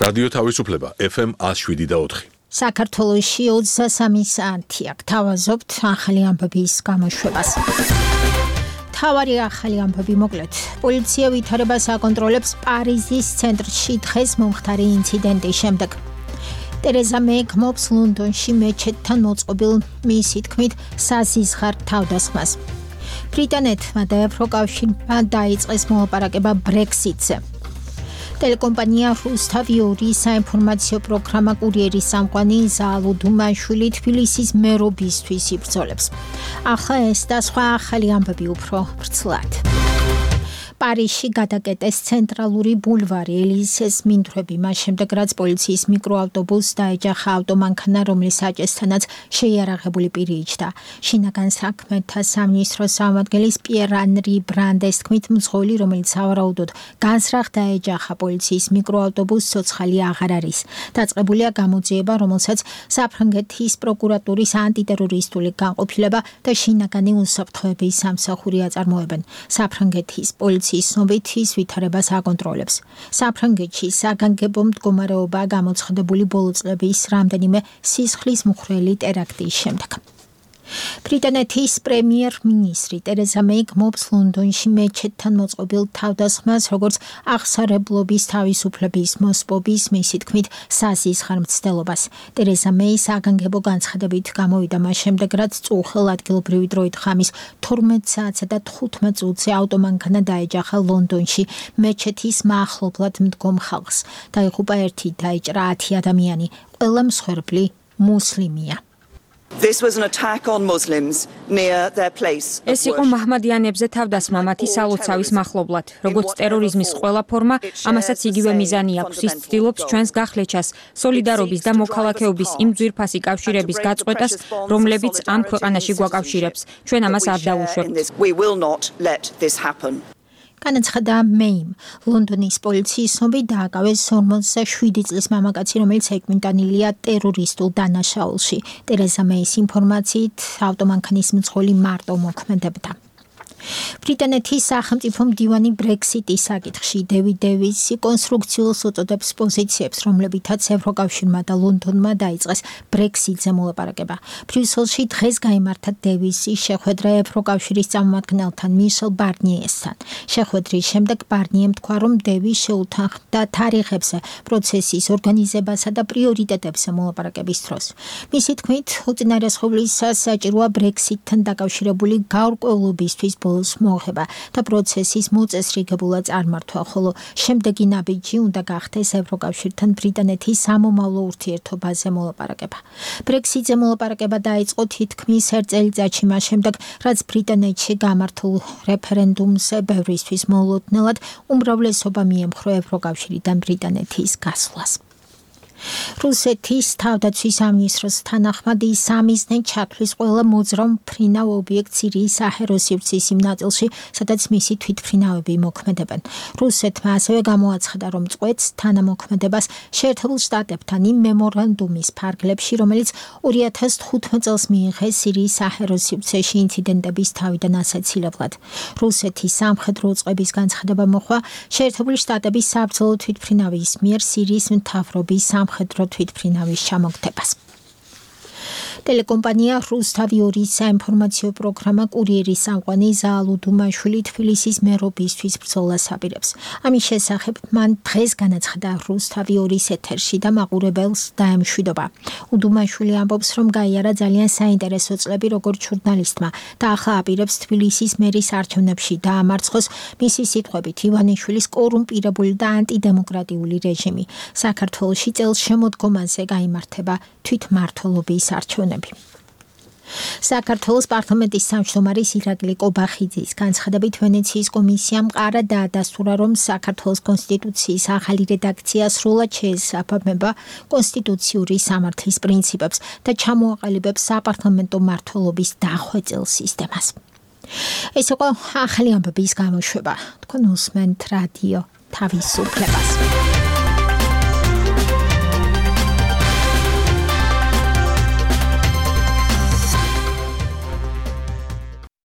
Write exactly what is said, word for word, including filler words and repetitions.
რადიო თავისუფლება F M one oh seven და four. საქართველოში ოცდასამი საათი აქ თავაზობთ ახალი ამბების გამოშვებას. თავარი ახალი ამბები მოკლედ. პოლიცია ვითარებას აკონტროლებს პარიზის ცენტრში დღეს მომხდარი ინციდენტის შემდეგ. ტერეზა მეი გმობს ლონდონში მეჩეთთან მოწყობილ მისი თქმით საზიზღარ თავდასხმას. ბრიტანეთმა და ევროკავშირმა დაიწყეს მოლაპარაკება ბრექსიტზე. Telecompanija Rustaviori საინფორმაციო პროგრამა კურიერის სამყარო ზალუ დუმაშვილი თბილისის მერობისთვის იბრძოლებს. ახლა ეს და სხვა ახალი ამბები უფრო ვრცლად. პარიზში გადაკეტეს ცენტრალური ბულვარი ელიზეს მინდვრები მას შემდეგ რაც პოლიციის მიკროავტობუსს დაეჯახა ავტომანქანა რომლის აჭესთანაც შეიარაღებული პირი იჯდა. შინაგან საქმეთა სამინისტროს წარმომადგენლის პიერ ანრი ბრანდეს თქმით მძღოლი რომელიც სავარაუდოდ განსრახ დაეჯახა პოლიციის მიკროავტობუსს ცოცხალი აღარ არის. დაწყებულია გამოძიება რომელსაც საფრანგეთის პროკურატურის ანტიტერორისტული განყოფილება და შინაგანი უსაფრთხოების სამსახური აწარმოებენ. საფრანგეთის პოლიციის ცნობით ის ვითარებას აკონტროლებს. საფრანგეთში საგანგებო მდგომარეობა გამოცხადებული ბოლო წლების რამდენიმე სისხლის მხვრელი ტერაქტის შემდეგ. ბრიტანეთის პრემიერ-მინისტრი ტერეზა მეი გმობს ლონდონში მეჩეთთან მოწყობილ თავდასხმას როგორც აღსარებლობის თავისუფლების მოსპობის მისი თქმით საზიზღარ მცდელობას. ტერეზა მეი საგანგებო განცხადებით გამოვიდა მას შემდეგ რაც წუხელ ადგილობრივი დროით ხამის თორმეტ საათსა და თხუთმეტ წუთზე ავტომანქანა დაეჯახა ლონდონში მეჩეთის მახლობლად მდგომ ხალხს. დაიღუპა ერთი დაიჭრა ათი ადამიანი, ყველა მსხვერპლი მუსლიმია. This was an attack on Muslims near their place. ეს იყო მაჰმადიანებზე თავდასხმა მათი სალოცავის მახლობლად. როგორც ტერორიზმის ყველა ფორმა, ამასაც იგივე მიზანი აქვს. ის ცდილობს ჩვენს გახლეჩას, სოლიდარობის და მოქალაქეობის იმ ძვირფასი კავშირების გაწყვეტას, რომლებიც ამ ქვეყანაში გვაკავშირებს. ჩვენ ამას არ დავუშვებთ. We will not let this happen. განაცხადა მეიმ. ლონდონის პოლიციის ცნობით დააკავეს ორმოცდაშვიდი წლის მამაკაცი, რომელიც ეკმიტანილია ტერორისტულ დანაშაულში. ტერეზა მეის ინფორმაციით ავტომანქანის მძღოლი მარტო მოქმედებდა. ბრიტანეთის სახელმწიფო მდივანი ბრექსიტის საკითხში დევიდ დევისი კონსტრუქციულს უწოდებს პოზიციებს, რომლებითაც ევროკავშირმა და ლონდონმა დაიწყეს ბრექსიტზე მოლაპარაკება. ბრიუსელში დღეს გაიმართა დევისის შეხვედრა ევროკავშირის წარმომადგენელთან მიშელ ბარნიესთან. შეხვედრის შემდეგ ბარნიემ თქვა, რომ დევის შეუთანხმდა თარიღებზე, პროცესის ორგანიზებასა და პრიორიტეტებზე მოლაპარაკების დროს. მისი თქმით, უწინარესობლისას საჭიროა ბრექსიტთან დაკავშირებული გაურკვევლობისთვის მოხება და პროცესის მოწესრიგებულად წარმართვა, ხოლო შემდეგი ნაბიჯი უნდა გახდეს ევროკავშირთან ბრიტანეთის სამომავლო ურთიერთობაზე მოლაპარაკება. ბრექსიტზე მოლაპარაკება დაიწყო თითქმის ერთ წელიწადში მას შემდეგ, რაც ბრიტანეთში გამართულ რეფერენდუმზე ბევრისთვის მოულოდნელად უმრავლესობა მიემხრო ევროკავშირიდან ბრიტანეთის გასვლას. რუსეთის თავდაცვის სამინისტროს თანახმად ის სამიზნე ჩათვლის ყველა მოძრავ მფრინავ ობიექტს სირიის საჰაერო სივრცის იმ ნაწილში, სადაც მისი თვითმფრინავები მოქმედებენ. რუსეთმა ასევე გამოაცხადა, რომ წყვეტს თანამოქმედებას შეერთებულ შტატებთან იმ მემორანდუმის ფარგლებში, რომელიც ორი ათას თხუთმეტ წელს მიიღეს სირიის საჰაერო სივრცეში ინციდენტების თავიდან ასაცილებლად. რუსეთის სამხედრო უწყების განცხადება მოხდა შეერთებული შტატების საბრძოლო თვითმფრინავის მიერ სირიის მთავრობის სამხედრო თვითმფრინავის ჩამოგდებას. Telecompanija Rustavioris საინფორმაციო პროგრამა კურიერის სამყარო ზალუ დუმაშვილი თბილისის მერობისთვის ბრძოლას აპირებს. ამის შესახებ მან დღეს განაცხადა Rustavioris ეთერში და მაყურებელს დაემშვიდობა. უდუმაშვილი ამბობს, რომ გაიარა ძალიან საინტერესო წლები როგორც ჟურნალისტმა და ახლა აპირებს თბილისის მერის არჩევნებში დაამარცხოს მისი სიტყვებით ივანიშვილის კორუმპირებული და ანტიდემოკრატიული რეჟიმი. საქართველოში წელს შემოდგომაზე გაიმართება თვითმმართველობის არჩევნები. საქართველოს პარლამენტის თავმჯდომარის ირაკლი კობახიძის განცხადებით ვენეციის კომისიამ მყარა დაადასტურა, რომ საქართველოს კონსტიტუციის ახალი რედაქცია სრულად შეესაბამება კონსტიტუციური სამართლის პრინციპებს და ჩამოაყალიბებს საპარლამენტო მმართველობის დახვეწილ სისტემას. ეს იყო ახალი ამბების გამოშვება. თქვენ უსმენთ რადიო თავისუფლებას.